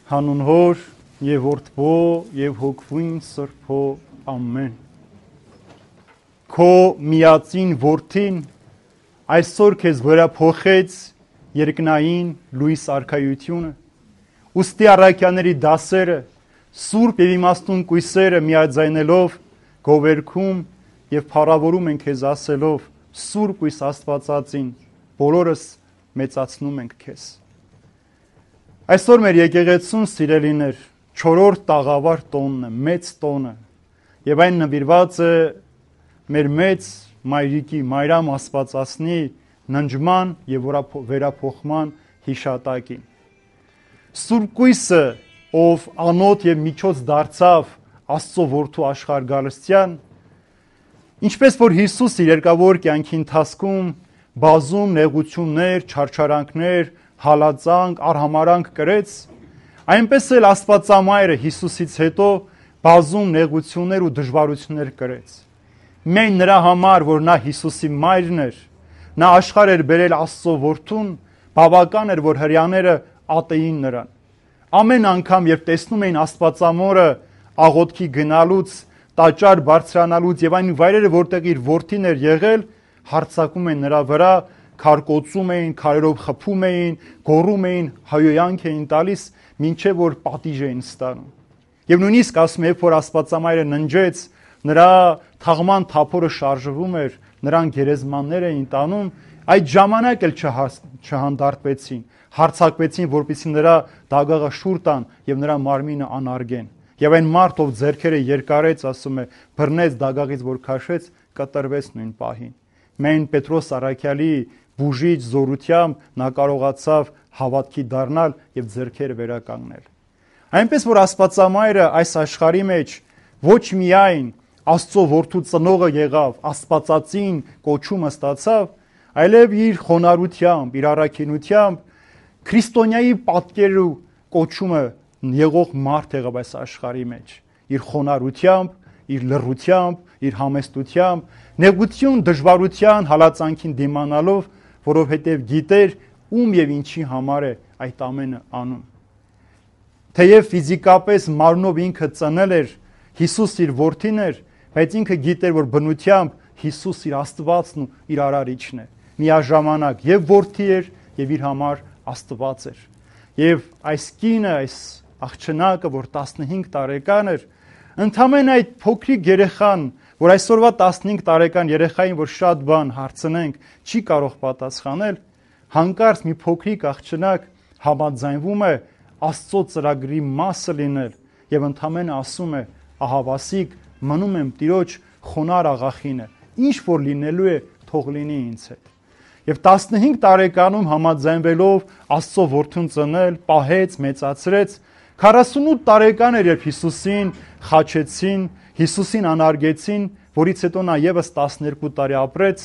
Հանուն Հոր եւ Որդվո եւ Հոգվին Սրբո ամեն։ Քո միածին որդին այսօր քեզ վերափոխեց երկնային լույս արքայությունը։ Ուստի առաքյաների դասերը, սուրբ եւ իմաստուն կույսերը միաձայնելով գովերքում եւ փառավորում են քեզ ասելով. Սուրբ կույս Աստվածածին, բոլորս մեծացնում ենք քեզ։ Այսօր մեր եկեղեցուն սիրելիներ 4-րդ տաղավար տոնն է, մեծ տոնը, եւ այն նվիրված է մեր մեծ մայրիկի Մայրամ Աստվածածնի ննջման եւ վերափոխման հիշատակին։ Սուրբ կույսը, ով անոթ եւ միջոց դարձավ Աստծո որդու աշխարհ գալստյան, ինչպես որ Հիսուս իր երկավոր կյանքի ընթացքում բազում նեղություններ, չարչարանքներ, հալածանք, արհամարանք կրեց, այնպես էլ Աստվածամայրը Հիսուսից հետո բազում նեղություններ ու դժվարություններ կրեց։ Միայն նրա համար, որ նա Հիսուսի մայրն էր, նա աշխարհ էր բերել Աստծո որդուն, բավական էր, որ հրեաները ատեին նրան։ Ամեն անգամ, երբ տեսնում էին Աստվածամորը աղոթքի գնալուց, տաճար բարձրանալուց եւ այն վայրերը, որտեղ իր որդին էր եղել, հարձակում են նրա վրա, քարկոծում էին, քարերով խփում էին, գոռում էին, հայոյանք էին տալիս, մինչև որ պատիժ էին ստանում։ Եվ նույնիսկ ասում երբ որ Աստվածամայրը ննջեց, նրա թաղման թափորը շարժվում էր, նրան գերեզմաններ էին տանում, այդ ժամանակ էլ չհանդարտվեցին, հարձակվեցին, որպեսզի նրա դագաղը շուռ տան եւ նրա մարմինը անարգեն։ Եվ այն մարդ, ով ձեռքերը երկարեց, ասում է, բռնեց դագաղից, որ քաշեց, կտրվեց նույն պահին։ Միայն Պետրոս առաքյալի բուժիչ զորությամբ նա կարողացավ հավատքի դառնալ եւ ձեռքերը վերականգնել։ Այնպես որ Աստվածամայրը այս աշխարհի մեջ ոչ միայն Աստծո որդու ծնողը եղավ, Աստվածածին կոչումը ստացավ, այլև իր խոնարհությամբ, իր առաքինությամբ քրիստոնյայի պատկերու կոչումը եղող մարդ եղավ այս աշխարհի մեջ, իր խոնարհությամբ, իր լռությամբ, իր համեստությամբ, նեղություն, դժվարության, հալածանքին դիմանալով, որովհետև գիտեր ում եւ ինչի համար է այդ ամենը անում։ Թեև ֆիզիկապես մարմնով ինքը ծնել էր, Հիսուս իր որդին էր, բայց ինքը գիտեր, որ բնությամբ Հիսուս իր Աստվածն ու իր արարիչն է։ Միաժամանակ եւ որդի էր եւ իր համար Աստված էր։ Եվ այս կինը, այս աղջնակը, որ 15 տարեկան էր, ընդամենը այդ փոքրիկ երեխան, որ այսօրվա 15 տարեկան երեխային, որ շատ բան հարցնենք, չի կարող պատասխանել, հանկարծ մի փոքրիկ աղջնակ համաձայնվում է Աստծո ծրագրի մասը լինել եւ ընդամենը ասում է. ահավասիկ, մնում եմ Տիրոջ խոնար աղախինը, ինչ որ լինելու է, թող լինի ինձ հետ։ Եվ 15 տարեկանում համաձայնվելով Աստծո որդուն ծնել, պահեց, մեծացրեց, 48 տարեկան էր, երբ Հիսուսին խաչեցին, Հիսուսին անարգեցին, որից հետո նա եւս 12 տարի ապրեց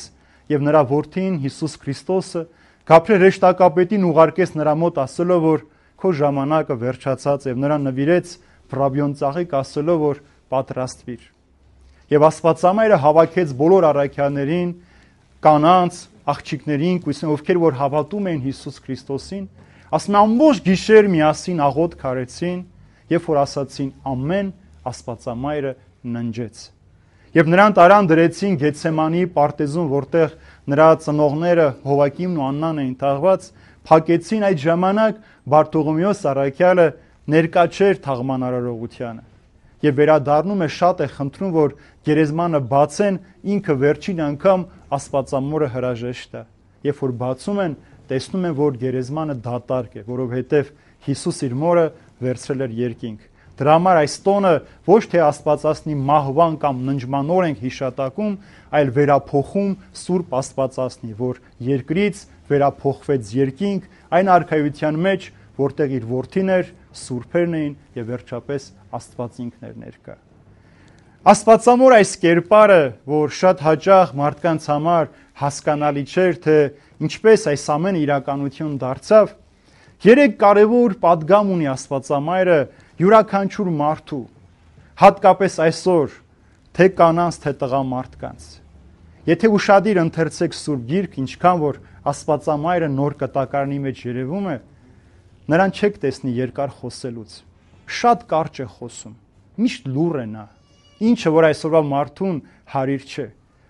եւ նրա որդին Հիսուս Քրիստոսը Գաբրիել հրեշտակապետին ուղարկեց նրա մոտ ասելով, որ քո ժամանակը վերջացած եւ նրան նվիրեց վրաբյոն ծաղիկ ասելով, որ պատրաստվիր։ Եվ Աստվածամայրը հավաքեց բոլոր առաքյալներին, կանանց, աղջիկներին, ովքեր որ հավատում էին Հիսուս Քրիստոսին, ասում ամբողջ գիշեր միասին աղոթք արեցին, երբ որ ասացին ամեն, Աստվածամայրը ննջեց։ Եվ նրան տարան դրեցին Գեթսեմանի պարտեզում, որտեղ նրա ծնողները Հովակիմն ու Աննան էին թաղված, փակեցին այդ ժամանակ Բարտողոմեոս առաքյալը ներկա չէր թաղման արարողությանը։ Եվ վերադառնում է, շատ է խնդրում, որ գերեզմանը բացեն, ինքը վերջին անգամ Աստվածամորը հրաժեշտ է։ Երբ որ բացում են, տեսնում են, որ գերեզմանը դատարկ է, որովհետև Հիսուս իր մորը վերցրել էր երկինք։ Դրա համար այս տոնը ոչ թե Աստվածածնի մահվան կամ ննջման օր ենք հիշատակում, այլ վերափոխում Սուրբ Աստվածածնի, որ երկրից վերափոխվեց երկինք, այն արքայության մեջ, որտեղ իր որդին էր, սուրբերն էին եւ վերջապես Աստված ինքն էր ներկա։ Աստվածամոր այս կերպարը, որ շատ հաճախ մարդկանց համար հասկանալի չէր, թե ինչպես այս ամենը իրականություն դարձավ, 3 կարևոր պատգամ ունի Աստվածամայրը յուրաքանչյուր մարդու, հատկապես այսօր, թե կանանց, թե տղամարդկանց։ Եթե ուշադիր ընթերցեք Սուրբ Գիրք, ինչքան որ Աստվածամայրը նոր կտակարանի մեջ երևում է, Նրան չեք տեսնի երկար խոսելուց։ Շատ կարճ է խոսում։ Միշտ լուռ է նա։ Ինչը որ այսօրվա մարդուն հարիր չէ։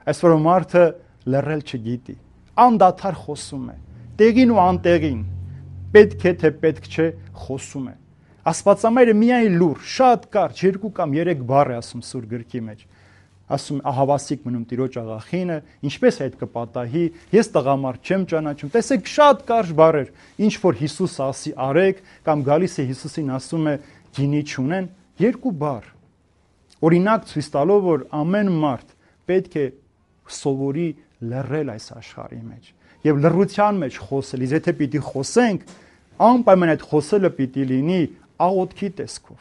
Այսօրվա մարդը լռել չգիտի։ Անդադար խոսում է։ Տեղին ու անտեղին։ Պետք է թե պետք չէ խոսում է։ Աստվածամայրը միայն լուռ, շատ կարճ 2 կամ 3 բառ է ասում Սուրբ գրքի մեջ։ Ասում ահավասիկ մնում տիրոջ աղախինը, ինչպես այդ կպատահի, ես տղամարդ չեմ ճանաչում։ Տեսեք շատ կարճ բառեր, ինչ որ Հիսուս ասի արեք, կամ գալիս է Հիսուսին ասում է գինի չունեն, 2 բառ։ Օրինակ ցույց տալով, որ ամեն մարդ պետք է սովորի լռել այս աշխարհի մեջ եւ լռության մեջ խոսել։ Իսկ եթե պիտի խոսենք, անպայման այդ խոսելը պիտի լինի աղոթքի տեսքով,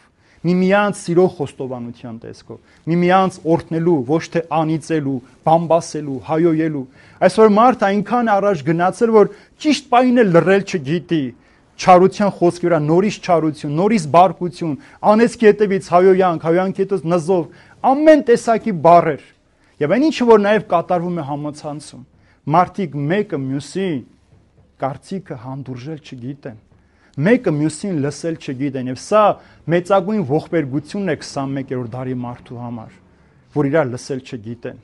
միմյանց սիրո խոստովանության տեսքով, միմյանց օրհնելու, ոչ թե անիծելու, բամբասելու, հայոյելու։ Այսօր մարդը այնքան առաջ գնացել, որ ճիշտ պահին էլ լռել չգիտի։ Չարության խոսքի վրա նորից չարություն, նորից բարկություն, անեծքի հետևից հայոյանք, հայոյանքի հետևից նզով, ամեն տեսակի բառեր։ Եվ այն ինչը որ նաև կատարվում է համացանցում, մարդիկ մեկը մյուսին կարծիքը հանդուրժել չգիտեն, մեկը մյուսին լսել չգիտեն, եւ սա մեծագույն ողբերգությունն է 21-րդ դարի մարդու համար, որ իրար լսել չգիտեն։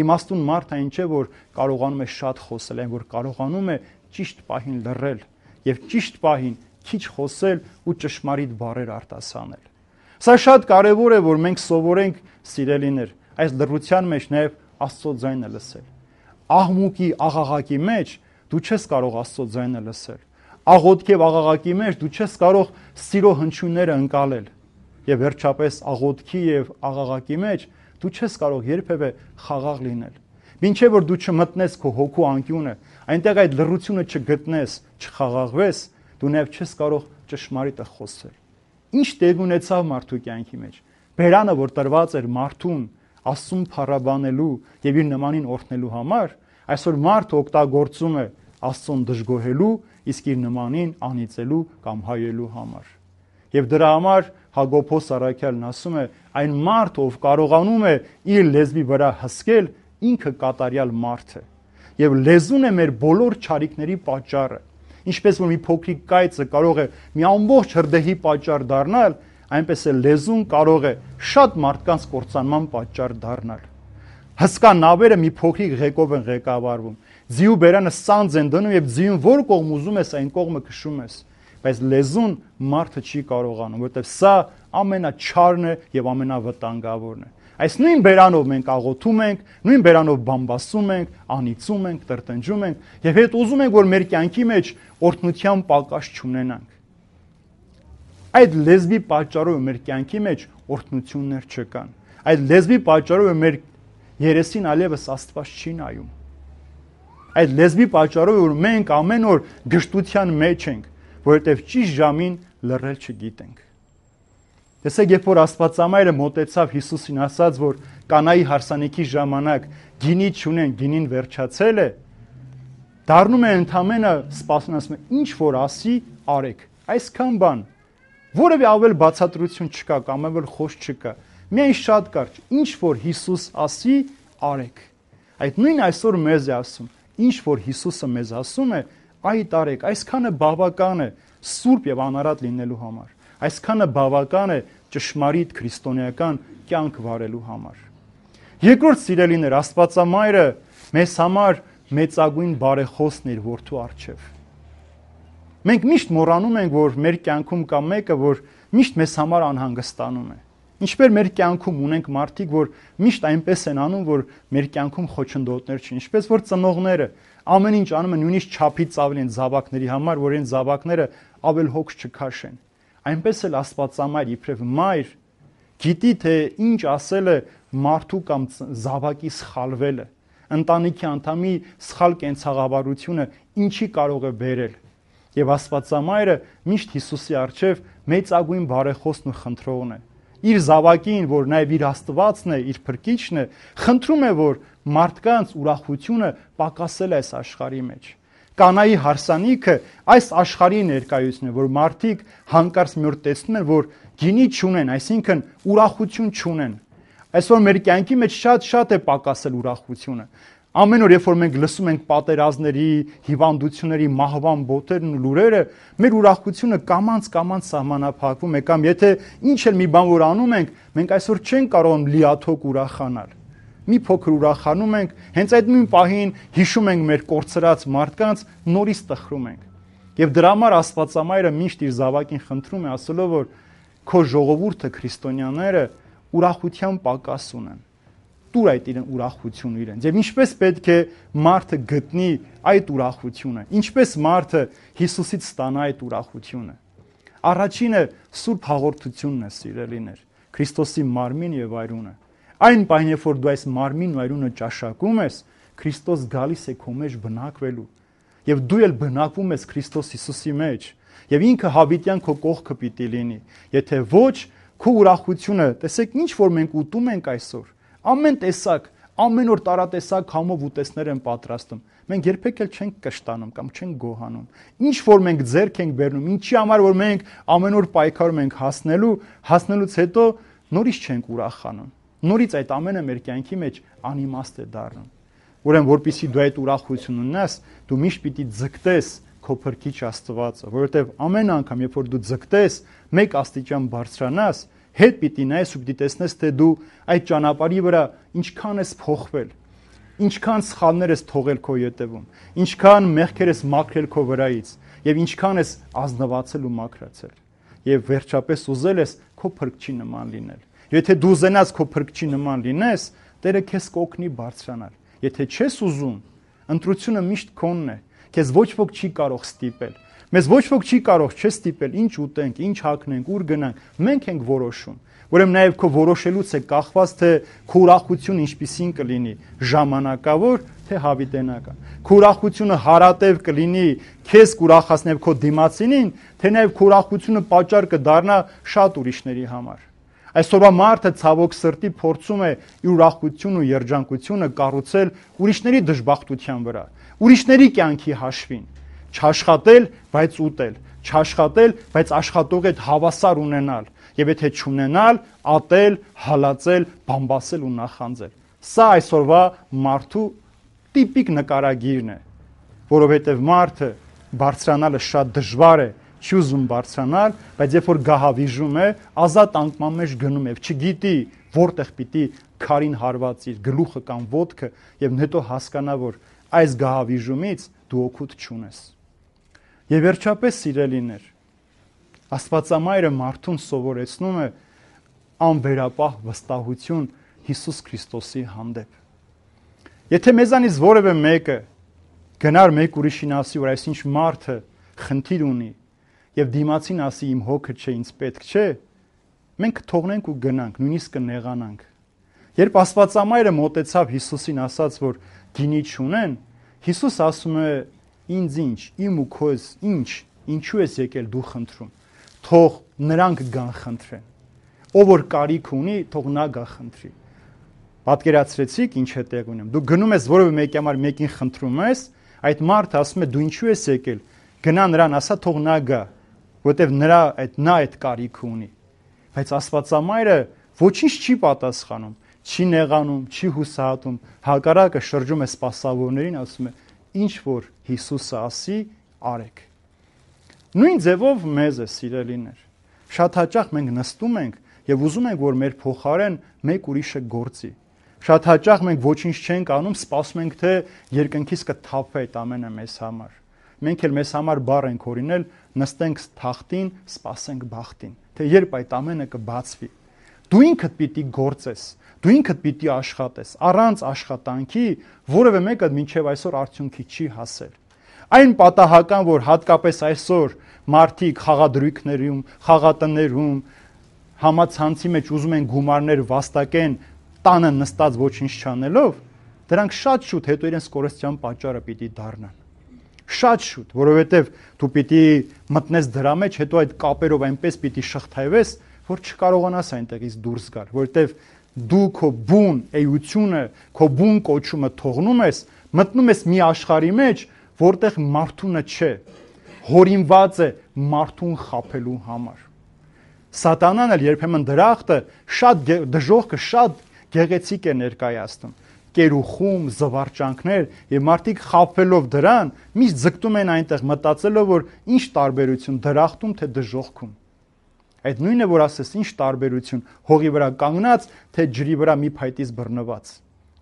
Իմաստուն մարդը այն չէ, որ կարողանում է շատ խոսել, այն որ կարողանում է ճիշտ պահին լռել եւ ճիշտ պահին քիչ խոսել ու ճշմարիտ բառեր արտասանել։ Սա շատ կարեւոր է, որ մենք սովորենք, սիրելիներ, այս լռության մեջ նաեւ Աստծո ձայնը լսել։ Աղմուկի, աղաղակի մեջ դու չես կարող Աստծո ձայնը լսել։ Աղոթքի եւ աղաղակի մեջ դու չես կարող սիրո հնչյունները ընկալել։ Եվ վերջապես աղոթքի եւ աղաղակի մեջ դու չես կարող երբևէ խաղաղ լինել։ Մինչև որ դու չմտնես քո հոգու անկյունը, այնտեղ այդ լռությունը չգտնես, չխաղաղվես, դու նաև չես կարող ճշմարիտը խոսել։ Ինչ տեղ ունեցավ մարդու կյանքի մեջ։ Բերանը, որ տրված էր մարդուն Աստծուն փառաբանելու եւ իր նմանին օրհնելու համար, այսօր մարդը օգտագործում է Աստծուն դժգոհելու, իսկ իր նմանին անիծելու կամ հայելու համար։ Եվ դրա համար Հակոբոս առաքյալն ասում է, այն մարդ, ով կարողանում է իր լեզվի վրա հսկել, ինքը կատարյալ մարդ է։ Եվ լեզուն է մեր բոլոր չարիքների պատճառը։ Ինչպես որ մի փոքրիկ կայծը կարող է մի ամբողջ հրդեհի պատճառ դառնալ, այնպես է լեզուն կարող է շատ մարդկանց կործանման պատճառ դառնալ։ Հսկա նավերը մի փոքրիկ ղեկով են ղեկավարվում։ Ձիու բերանը սանձ են դնում եւ ձիուն որ կողմ ուզում ես այն կողմը քշում ես։ Բայց լեզուն մարդը չի կարողանում, որովհետեւ սա ամենաչարն է եւ ամենավտանգավորն է։ Այս նույն բերանով մենք աղոթում ենք, նույն բերանով բամբասում ենք, անիծում ենք, տրտնջում ենք եւ հետ ուզում ենք, որ մեր կյանքի մեջ օրհնության պակաս չունենանք։ Այդ լեզվի պատճառով մեր կյանքի մեջ օրհնություններ չկան։ Այդ լեզվի պատճառով մեր երեսին այլևս Աստված չի նայում։ Այդ լեզվի պատճառով որ մենք ամեն օր գժտության մեջ ենք, որովհետեւ ճիշտ ժամին լռել չգիտենք։ Տեսեք, երբ որ Աստվածամայրը մոտեցավ Հիսուսին ասաց, որ Կանայի հարսանիքի ժամանակ գինի չունեն, գինին վերջացել է, դառնում է ընդամենը սպասում, ասում է, ինչ որ ասի, արեք։ Այսքան բան, որևէ ավել բացատրություն չկա, կամ ավել խոս չկա։ Միայն շատ կարճ, ինչ որ Հիսուս ասի, արեք։ Այդ նույն այսօր մեզ է ասում, ինչ որ Հիսուսը մեզ ասում է, այդ արեք, այսքանը բավական է սուրբ եւ անարատ լինելու համար։ Այսքանը բավական է ճշմարիտ քրիստոնեական կյանք վարելու համար։ Երկրորդ սիրելիներ, Աստվածամայրը մեզ համար մեծագույն բարեխոսն իր որդու առջև։ Մենք միշտ մոռանում ենք, որ մեր կյանքում կա մեկը, որ միշտ մեզ համար անհանգստանում է։ Ինչպես մեր կյանքում ունենք մարդիկ, որ միշտ այնպես են անում, որ մեր կյանքում խոչընդոտներ չի, ինչպես որ ծնողները ամեն ինչ անում են նույնիսկ չափից ավելի են զավակների համար, որ այն զավակները ավել հոգ չքաշեն։ Այնպես էլ Աստվածամայր իբրև մայր գիտի թե ինչ ասել է մարդու կամ զավակի սխալվելը, ընտանիքի անդամի սխալ կենցաղավարությունը ինչի կարող է բերել։ Եվ Աստվածամայրը միշտ Հիսուսի առջև մեծագույն բարեխոսն ու խնդրողն է։ Իր զավակին, որ նաև իր Աստվածն է, իր Փրկիչն է, խնդրում է, որ մարդկանց ուրախությունը պակասել է այս աշխարհի մեջ։ Կանայի հարսանիքը այս աշխարհի ներկայությունն է, որ մարդիկ հանկարծ մի օր տեսնում են, որ գինի չունեն, այսինքն ուրախություն չունեն։ Այսօր մեր կյանքի մեջ շատ է պակասել ուրախությունը։ Ամեն օր, երբ որ մենք լսում ենք պատերազմների, հիվանդությունների, մահվան բոթերն ու լուրերը, մեր ուրախությունը կամաց սահմանափակվում է, կամ եթե ինչ էլ մի բան որ անում ենք, մենք այսօր չենք կարող լիաթոք ուրախանալ։ Մի փոքր ուրախանում ենք, հենց այդ նույն պահին հիշում ենք մեր կորցրած մարդկանց, նորից տխրում ենք։ Եվ դրա համար Աստվածամայրը միշտ իր զավակին խնդրում է, ասելով, որ քո ժողովուրդը քրիստոնյաները ուրախության պակաս ունեն։ Տուր այդ իրեն ուրախությունը իրենց։ Եվ ինչպես պետք է մարդը գտնի այդ ուրախությունը, ինչպես մարդը Հիսուսից ստանա այդ ուրախությունը։ Առաջինը սուրբ հաղորդությունն է, սիրելիներ, Քրիստոսի մարմին եւ այրունը։ Այն պահին, երբ որ դու այս մարմինն ու այրունը ճաշակում ես, Քրիստոս գալիս է քո մեջ բնակվելու։ Եվ դու էլ բնակվում ես Քրիստոս Հիսուսի մեջ։ Եվ ինքը հավիտյան քո կողքը պիտի լինի։ Եթե ոչ, քո ուրախությունը, տեսեք, ինչ որ մենք ուտում ենք այսօր, ամեն տեսակ, ամեն օր տարատեսակ համով ուտեսներ են պատրաստում։ Մենք երբեք էլ չենք կշտանում կամ չենք գոհանում։ Ինչ որ մենք ձեռք ենք բերնում, ինչի համար որ մենք ամեն օր պայքարում ենք հասնելուց հետո նորից չենք ուրախանում։ Նորից այդ ամենը մեր կյանքի մեջ անիմաստ է դառնում։ Ուրեմն, որպեսզի դու այդ ուրախությունը ունենաս, դու միշտ պիտի ձգտես քո Փրկիչ Աստվածը, որովհետև ամեն անգամ, երբ որ դու ձգտես, մեկ աստիճան բարձրանաս, հետ պիտի նայես ու պիտի տեսնես, թե դու այդ ճանապարհի վրա ինչքան ես փոխվել, ինչքան սխալներ ես թողել քո ետևում, ինչքան մեղքեր ես մաքրել քո վրայից եւ ինչքան ես ազնվացել ու մաքրացել։ Եվ վերջապես ուզել ես քո Փրկչի նման լինել։ Եթե դու ուզենաս քո Փրկչի նման լինես, Տերը քեզ կօգնի բարձրանալ։ Եթե չես ուզում, ընտրությունը միշտ քոնն է։ Քեզ ոչ ոք չի կարող ստիպել։ Մեզ ոչ ոք չի կարող չստիպել, ինչ ուտենք, ինչ հագնենք, ուր գնանք։ Մենք ենք որոշում։ Ուրեմն նաև քո որոշելուց է կախված, թե քո ուրախությունը ինչպիսին կլինի՝ ժամանակավոր, թե հավիտենական։ Քո ուրախությունը հարատև կլինի քեզ կուրախացնև քո դիմացինին, թե նաև քո ուրախությունը պատճառ կդառնա շատ ուրիշների համար։ Այսօրվա մարդը ցավոք սրտի փորձում է իր ուրախությունն ու երջանկությունը կառուցել ուրիշների դժբախտության վրա, ուրիշների կյանքի հաշվին։ Չաշխատել, բայց ուտել, չաշխատել, բայց աշխատող հետ հավասար ունենալ, եւ եթե չունենալ, ատել, հալածել, բամբասել ու նախանձել։ Սա այսօրվա մարդու տիպիկ նկարագիրն է, որովհետեւ մարդը բարձրանալը շատ դժվար է, չի ուզում բարձրանալ, բայց երբ որ գահավիժում է, ազատ անկման մեջ գնում է, չգիտի որտեղ պիտի քարին հարված իր գլուխը կամ ոտքը եւ հետո հասկանա, որ այս գահավիժումից դու օգուտ չունես։ Եվ վերջապես, սիրելիներ, Աստվածամայրը մարդուն սովորեցնում է անվերապահ վստահություն Հիսուս Քրիստոսի հանդեպ։ Եթե մեզանից որևէ մեկը գնար մեկ ուրիշին ասի, որ այսինչ մարդը խնդիր ունի եւ դիմացին ասի իմ հոգը չէ, ինձ պետք չէ, մենք թողնենք ու գնանք, նույնիսկ կնեղանանք։ Երբ Աստվածամայրը մոտեցավ Հիսուսին, ասաց, որ գինի չունեն, Հիսուս ասում է. ինձ ինչ, իմ ու քոզ ինչ, ինչու ես եկել դու խնդրում, թող նրանք գան խնդրեն, ով որ կարիք ունի, թող նա գա խնդրի։ Պատկերացրեցիք ինչ է տեղ ունեմ, դու գնում ես որևէ մեկի համար մեկին խնդրում ես, այդ մարդը ասում է դու ինչու ես եկել, գնա նրան ասա թող նա գա, որտեվ նա այդ կարիքը ունի։ Բայց Աստվածամայրը ոչինչ չի պատասխանում, չի նեղանում, չի հուսահատում, հակառակը շրջում է սպասավորներին, ասում է ինչ որ Հիսուսը ասի, արեք։ Նույն ձևով մեզ է, սիրելիներ։ Շատ հաճախ մենք նստում ենք եւ ուզում ենք, որ մեր փոխարեն մեկ ուրիշը գործի։ Շատ հաճախ մենք ոչինչ չենք անում, սպասում ենք, թե երկնքից կթափվի այդ ամենը մեզ համար։ Մենք էլ մեզ համար բառ ենք օրինել, նստենք թախտին, սպասենք բախտին, թե երբ այդ ամենը կբացվի։ Դու ինքդ պիտի գործես, դու ինքդ պիտի աշխատես, առանց աշխատանքի որևէ մեկը մինչև այսօր արդյունքի չի հասել։ Այն պատահական, որ հատկապես այսօր մարդիկ խաղադրույքներում, խաղատներում, համացանցի մեջ ուզում են գումարներ վաստակեն, տանը նստած ոչինչ չանելով, դրանք շատ շուտ հետո իրենց կորստյան պատճառը պիտի դառնան։ Շատ շուտ, որովհետև դու պիտի մտնես դրա մեջ, հետո այդ կապերով այնպես պիտի շղթայվես, որ չկարողանաս այնտեղից դուրս գալ, որովհետև դու քո բուն էությունը, քո բուն կոչումը թողնում ես, մտնում ես մի աշխարհի մեջ, որտեղ մարդունը չէ, հորինված է մարդուն խաբելու համար։ Սատանան էլ երբեմն դրախտը շատ դժողքը շատ գեղեցիկ է ներկայացնում։ կերուխում, զվարճանքներ, եւ մարդիկ խաբվելով դրան, միշտ ձգտում են այնտեղ մտածելով, որ ինչ տարբերություն դրախտում թե դժոխքում։ Այդ նույնը, որ ասես ինչ տարբերություն հողի վրա կանգնած, թե ջրի վրա մի փայտից բռնված։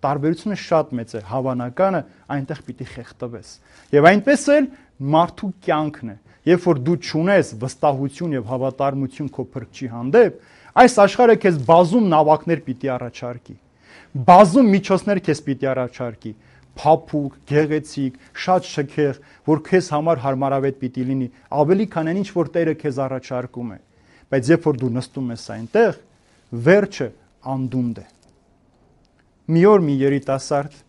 Տարբերությունը շատ մեծ է, հավանականը այնտեղ պիտի խեղդվես։ Եվ այնպես էլ մարդու կյանքն է։ Երբ որ դու ճունես վստահություն եւ հավատարմություն քո փրկչի հանդեպ, այս աշխարհը քեզ բազում նավակներ պիտի առաջարկի։ Բազում միջոցներ քեզ պիտի առաջարկի։ Փափուկ, գեղեցիկ, շատ շքեղ, որ քեզ համար հարմարավետ պիտի լինի, ավելի քան այն ինչ որ Տերը քեզ առաջարկում է։ Բայց երբ որ դու նստում ես այնտեղ, վերջը անդունդ է։ Մի օր մի երիտասարդ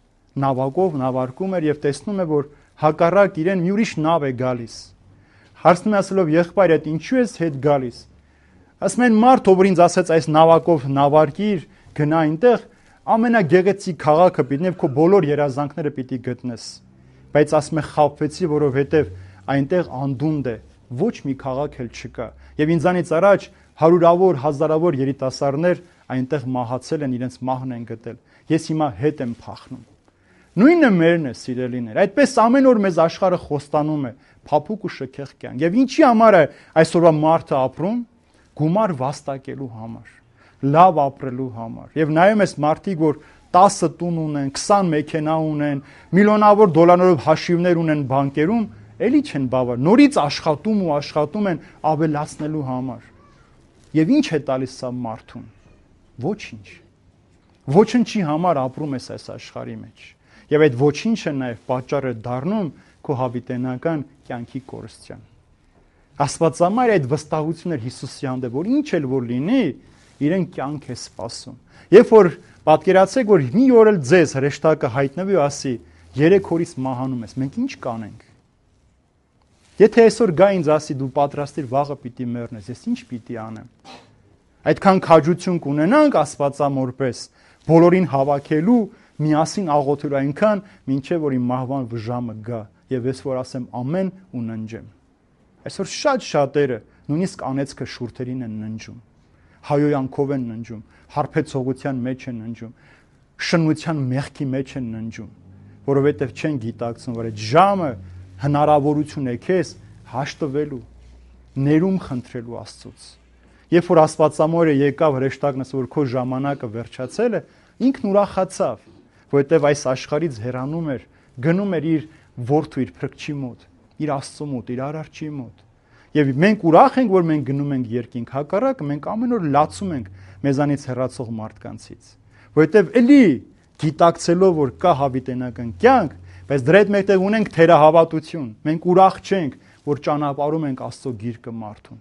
նավակով նավարկում էր եւ տեսնում է, որ հակառակ իրեն մի ուրիշ նավ է գալիս։ Հարցնում է ասելով, եղբայր, այդ ինչու ես հետ գալիս։ Ասում են, մարդ, ով ինձ ասեց այս նավակով նավարկիր, գնա այնտեղ, ամենագեղեցիկ քաղաքը պիտի եւ քո բոլոր երազանքները պիտի գտնես։ Բայց ասում է, խաբվեցի, որովհետեւ այնտեղ անդունդ է, ոչ մի քաղաք էլ չկա։ Եվ ինձանից առաջ հարյուրավոր, հազարավոր երիտասարդներ այնտեղ մահացել են, իրենց մահն են գտել։ Ես հիմա հետ եմ փախնում։ Նույնը մերն է, սիրելիներ։ Այդպես ամեն օր մեզ աշխարհը խոստանում է փափուկ ու շքեղ կյանք։ Եվ ինչի համար է այսօրվա մարդը ապրում, գումար վաստակելու համար, լավ ապրելու համար։ Եվ նայում ես մարդիկ, որ 10 տուն ունեն, 20 մեքենա ունեն, միլիոնավոր դոլարներով հաշիվներ ունեն բանկերում, էլի չեն բավար։ Նորից աշխատում ու աշխատում են ավելացնելու համար։ Եվ ինչ է տալիս սա մարդուն։ Ոչինչ։ Ոչինչի համար ապրում ես այս աշխարհի մեջ։ Եվ այդ ոչինչը նաև պատճառ է դառնում քո հավիտենական կյանքի կորստյան։ Աստվածամայրը այդ վստահությունն էր Հիսուսի հանդեպ, որ ինչ էլ որ լինի, իրեն կյանք է սպասում։ Երբ որ պատկերացեք, որ մի օր էլ ձեզ հրեշտակը հայտնվի ու ասի, 3 օրից մահանում ես, մենք ինչ կանենք։ Եթե այսօր գա ինձ ասի, դու պատրաստիր վաղը պիտի մեռնես, ես ինչ պիտի անեմ։ Այդքան քաջություն կունենանք Աստվածամորպես, բոլորին հավաքելու, միասին աղոթելու այնքան, մինչև որ իմ մահվան ժամը գա, եւ ես որ ասեմ ամեն ու ննջեմ։ Այսօր շատ շատերը նույնիսկ անեծքը շուրթերին են ննջում, հայոյանքով են ննջում, հարբեցողության մեջ են ննջում, շնության մեղքի մեջ են ննջում, որովհետեւ չեն գիտակցում, որ այդ ժամը հնարավորություն է քեզ հաշտվելու, ներում խնդրելու Աստծուց։ Երբ որ Աստվածամորը եկավ հրեշտակն ասել, որ քո ժամանակը վերջացել է, ինքն ուրախացավ, որովհետև այս աշխարհից հեռանում էր, գնում էր իր որդու, իր փրկչի մոտ, իր Աստծո մոտ, իր արարչի մոտ։ Եվ մենք ուրախ ենք, որ մենք գնում ենք երկինք, հակառակը մենք ամեն օր լացում ենք մեզանից հեռացող մարդկանցից, որովհետև էլի գիտակցելով, որ կա հավիտենական կյանք, բայց դրա հետ մեկտեղ ունենք թերահավատություն, մենք ուրախ չենք, որ ճանապարհում ենք Աստծո գիրկը մարդուն։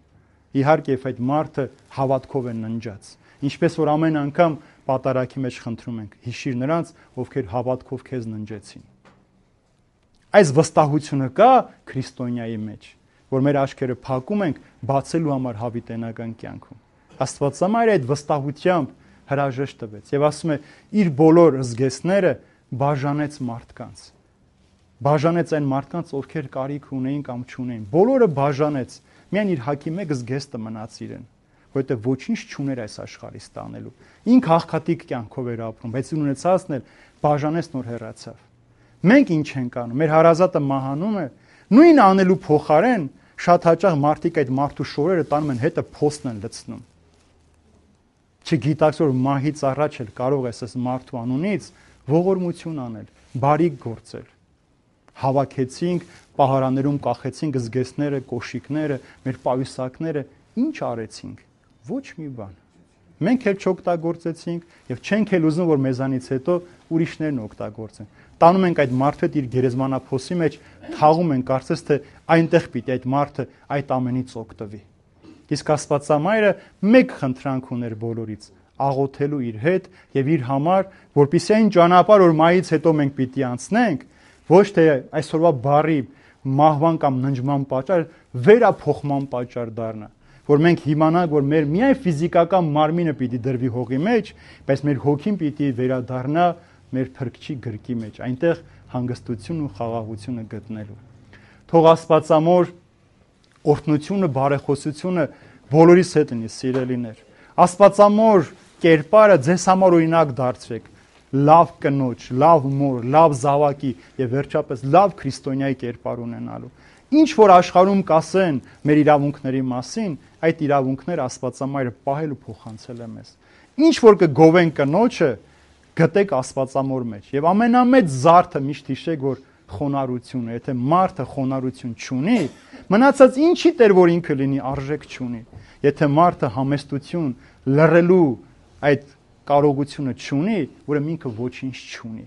Իհարկե, այդ մարդը հավատքով է ննջած, ինչպես որ ամեն անգամ պատարագի մեջ խնդրում ենք, հիշիր նրանց, ովքեր հավատքով քեզ ննջեցին։ Այս վստահությունը կա քրիստոնյայի մեջ, որ մեր աչքերը փակում ենք բացելու համար հավիտենական կյանքում։ Աստվածամայրը այդ վստահությամբ հրաժեշտ տվեց եւ ասում է, իր բոլոր զգեստները բաժանեց մարդկանց։ Բաժանեց այն մարդկանց, ովքեր կարիք ունեին կամ չունեին։ Բոլորը բաժանեց, միայն իր հակի մեկ զգեստը մնաց իրեն, որովհետև ոչինչ չուներ այս աշխարհի ստանելու։ Ինք հաղթատիկ կյանքով էր ապրում, բայց ունեցածն էլ բաժանեց, նոր հեռացավ։ Մենք ինչ ենք անում։ Մեր հարազատը մահանում է, նույն անելու փոխարեն շատ հաճախ մարդիկ այդ մարդու շորերը տանում են հետը փոստն են լցնում։ Չգիտակց որ մահից առաջ էլ կարող ես այս մարդու անունից ողորմություն անել, բարիք գործել։ Հավաքեցինք, պահարաններում կախեցինք զգեստները, կոշիկները, մեր պայուսակները, ինչ արեցինք։ Ոչ մի բան։ Մենք էլ չօգտագործեցինք եւ չենք էլ ուզում, որ մեզանից հետո ուրիշներն օգտագործեն։ Տանում ենք այդ մարդը իր գերեզմանափոսի մեջ, թաղում ենք, կարծես թե այնտեղ պիտի այդ մարդը այդ ամենից օգտվի։ Իսկ Աստվածամայրը մեկ խնդրանք ուներ բոլորից՝ աղոթելու իր հետ եւ իր համար, որպեսզի այն ճանապարհ, որ մահից հետո մենք պիտի անցնենք, ոչ թե այսօրվա բարի մահվան կամ ննջման պատճառ, վերափոխման պատճառ դառնա, որ մենք իմանանք, որ մեր միայն ֆիզիկական մարմինը պիտի դրվի հողի մեջ, բայց մեր հոգին պիտի վերադառնա մեր փրկչի գրկի մեջ, այնտեղ հանգստությունն ու խաղաղությունը գտնելու։ Թող Աստվածամոր օրհնությունը, բարեխոսությունը բոլորիս հետ լինի, սիրելիներ։ Աստվածամոր կերպարը ձեզ համար օրինակ դարձրեք։ լավ կնոջ, լավ մոր, լավ զավակի եւ վերջապես լավ քրիստոնյայի կերպար ունենալու։ Ինչ որ աշխարհում կասեն մեր իրավունքների մասին, այդ իրավունքները Աստվածամայրը պահել ու փոխանցել է մեզ։ Ինչ որ կգովեն կնոջը, գտեք Աստվածամոր մեջ։ Եվ ամենամեծ զարդը միշտ հիշեք, որ խոնարհությունը, եթե մարդը խոնարհություն չունի, մնացած ինչի տեր որ ինքը լինի արժեք չունի։ Եթե մարդը համեստություն լռելու այդ կարողությունը չունի, ուրեմն ինքը ոչինչ չունի։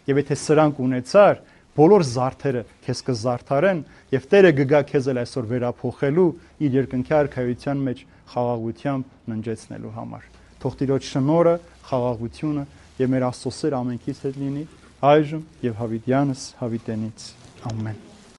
Եվ եթե սրանք ունեցար, բոլոր զարդերը քեզ կզարդարեն, եւ Տերը կգա քեզ էլ այսօր վերափոխելու իր երկնքի արքայության մեջ խաղաղությամբ ննջեցնելու համար։ Թող Տիրոջ շնորհը, խաղաղությունը եւ մեր Աստծո սերը ամենքից հետ լինի այժմ եւ հավիտյանս հավիտենից։ Ամեն։